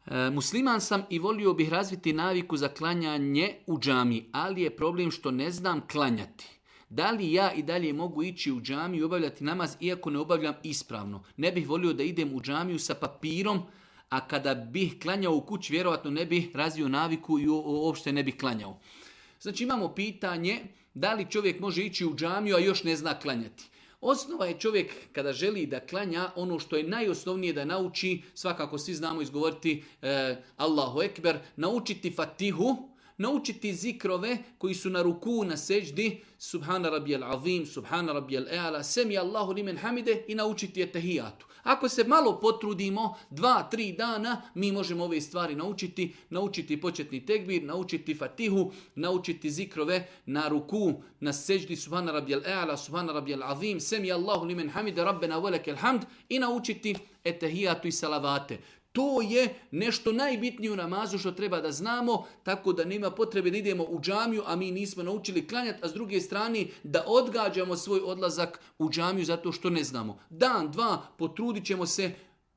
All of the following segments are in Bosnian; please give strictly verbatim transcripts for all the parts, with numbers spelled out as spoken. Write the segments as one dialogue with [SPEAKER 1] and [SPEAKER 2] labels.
[SPEAKER 1] E, musliman sam i volio bih razviti naviku za klanjanje u džami, ali je problem što ne znam klanjati. Da li ja i dalje mogu ići u džamiju i obavljati namaz iako ne obavljam ispravno? Ne bih volio da idem u džamiju sa papirom, a kada bih klanjao u kući vjerovatno ne bih razvio naviku i uopšte ne bih klanjao. Znači imamo pitanje da li čovjek može ići u džamiju, a još ne zna klanjati. Osnova je čovjek kada želi da klanja ono što je najosnovnije da nauči, svakako svi znamo izgovoriti eh, Allahu Ekber, naučiti Fatihu, naučiti zikrove koji su na ruku, na seđdi, Subhana Rabbijal Azim, Subhana Rabbijal Eala, Semi Allahu limen hamide i naučiti etahijatu. Ako se malo potrudimo, dva, tri dana, mi možemo ove stvari naučiti, naučiti početni tekbir, naučiti Fatihu, naučiti zikrove na ruku, na seđdi, Subhana Rabbijal Eala, Subhana Rabbijal Azim, Semi Allahu limen hamide, Rabbena velekel hamd i naučiti etahijatu i salavate. To je nešto najbitnije u namazu što treba da znamo, tako da nema potrebe da idemo u džamiju, a mi nismo naučili klanjati, a s druge strane da odgađamo svoj odlazak u džamiju zato što ne znamo. Dan, dva, potrudit ćemo se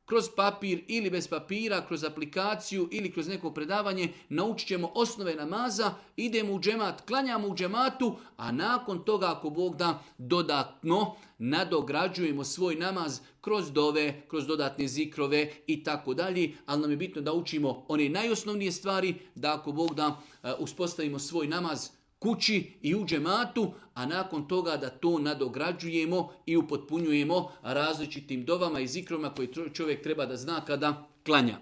[SPEAKER 1] kroz papir ili bez papira, kroz aplikaciju ili kroz neko predavanje, naučit ćemo osnove namaza, idemo u džemat, klanjamo u džematu, a nakon toga, ako Bog da, dodatno nadograđujemo svoj namaz kroz dove, kroz dodatne zikrove i tako dalje, ali nam je bitno da učimo one najosnovnije stvari, da ako Bog da uspostavimo svoj namaz kući i u džematu, a nakon toga da to nadograđujemo i upotpunjujemo različitim dovama i zikrovima koje čovjek treba da zna kada klanja.